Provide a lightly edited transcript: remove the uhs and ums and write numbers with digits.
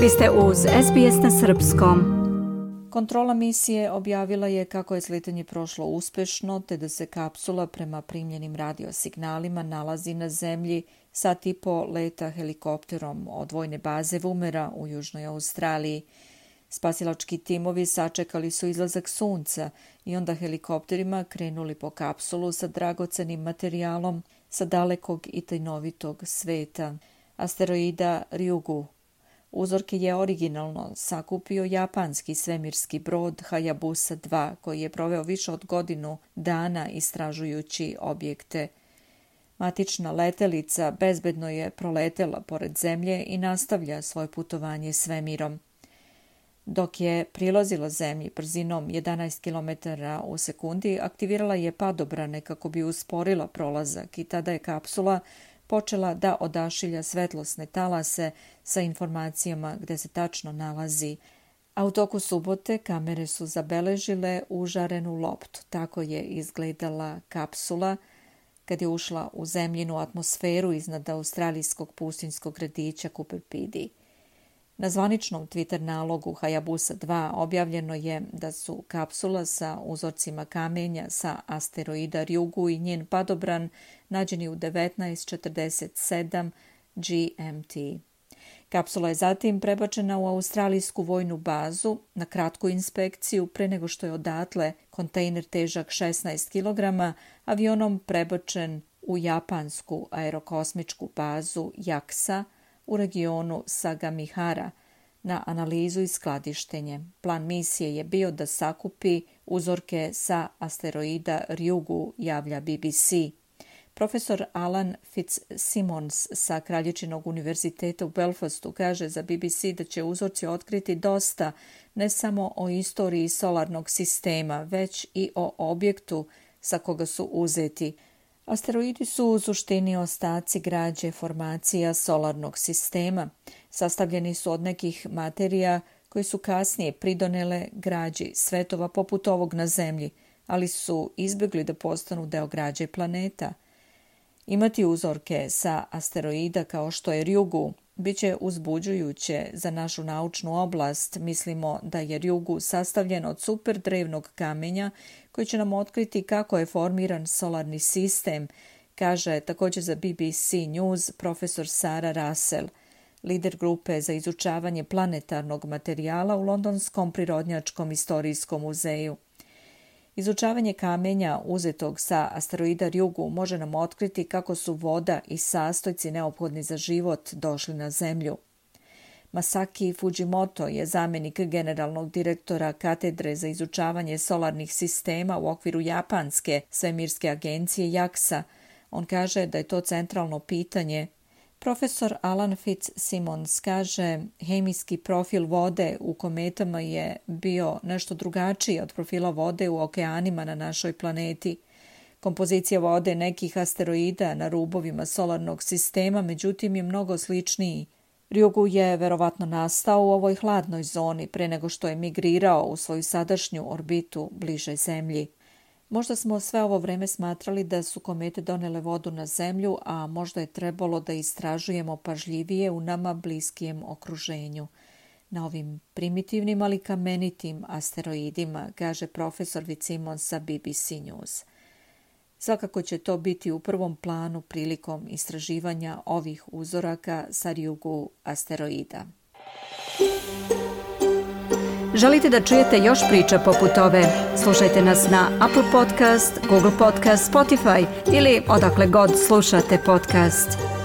Vi ste uz SBS na srpskom. Kontrola misije objavila je kako je sletanje prošlo uspešno, te da se kapsula prema primljenim radiosignalima nalazi na zemlji sat i po leta helikopterom od vojne baze Woomera u Južnoj Australiji. Spasilački timovi sačekali su izlazak sunca i onda helikopterima krenuli po kapsulu sa dragocenim materijalom sa dalekog i tajnovitog sveta, asteroida Ryugu. Uzorke je originalno sakupio japanski svemirski brod Hayabusa 2, koji je proveo više od godinu dana istražujući objekte. Matična letelica bezbedno je proletela pored zemlje i nastavlja svoje putovanje svemirom. Dok je prilazila zemlji brzinom 11 km u sekundi, aktivirala je padobrane kako bi usporila prolazak i tada je kapsula počela da odašilja svetlosne talase sa informacijama gde se tačno nalazi, a u toku subote kamere su zabeležile užarenu loptu. Tako je izgledala kapsula kad je ušla u zemljinu atmosferu iznad australijskog pustinjskog gradića Cooper Pedy. Na zvaničnom Twitter nalogu Hayabusa 2 objavljeno je da su kapsula sa uzorcima kamenja sa asteroida Ryugu i njen padobran nađeni u 19:47 GMT. Kapsula je zatim prebačena u australijsku vojnu bazu na kratku inspekciju pre nego što je odatle kontejner težak 16 kg avionom prebačen u japansku aerokosmičku bazu JAXA u regionu Sagamihara na analizu i skladištenje. Plan misije je bio da sakupi uzorke sa asteroida Ryugu, javlja BBC. Profesor Alan Fitzsimmons sa Kraljičinog univerziteta u Belfastu kaže za BBC da će uzorci otkriti dosta ne samo o istoriji solarnog sistema, već i o objektu sa koga su uzeti. Asteroidi su u suštini ostaci građe formacija solarnog sistema. Sastavljeni su od nekih materija koji su kasnije pridonele građi svetova poput ovog na Zemlji, ali su izbjegli da postanu deo građe planeta. Imati uzorke sa asteroida kao što je Ryugu biće uzbuđujuće za našu naučnu oblast. Mislimo da je Ryugu sastavljen od super drevnog kamenja koji će nam otkriti kako je formiran solarni sistem, kaže također za BBC News profesor Sarah Russell, lider grupe za izučavanje planetarnog materijala u Londonskom prirodnjačkom istorijskom muzeju. Izučavanje kamenja uzetog sa asteroida Ryugu može nam otkriti kako su voda i sastojci neophodni za život došli na Zemlju. Masaki Fujimoto je zamjenik generalnog direktora katedre za izučavanje solarnih sistema u okviru japanske svemirske agencije JAXA. On kaže da je to centralno pitanje. Profesor Alan Fitzsimmons kaže hemijski profil vode u kometama je bio nešto drugačiji od profila vode u okeanima na našoj planeti. Kompozicija vode nekih asteroida na rubovima solarnog sistema međutim je mnogo sličniji. Ryugu je verovatno nastao u ovoj hladnoj zoni pre nego što je migrirao u svoju sadašnju orbitu bliže Zemlji. Možda smo sve ovo vreme smatrali da su komete donele vodu na Zemlju, a možda je trebalo da istražujemo pažljivije u nama bliskijem okruženju. Na ovim primitivnim, ali kamenitim asteroidima, kaže profesor Fitzsimmons sa BBC News. Svakako će to biti u prvom planu prilikom istraživanja ovih uzoraka sa Ryugu asteroida. Želite da čujete još priča poput ove? Slušajte nas na Apple Podcast, Google Podcast, Spotify ili odakle god slušate podcast.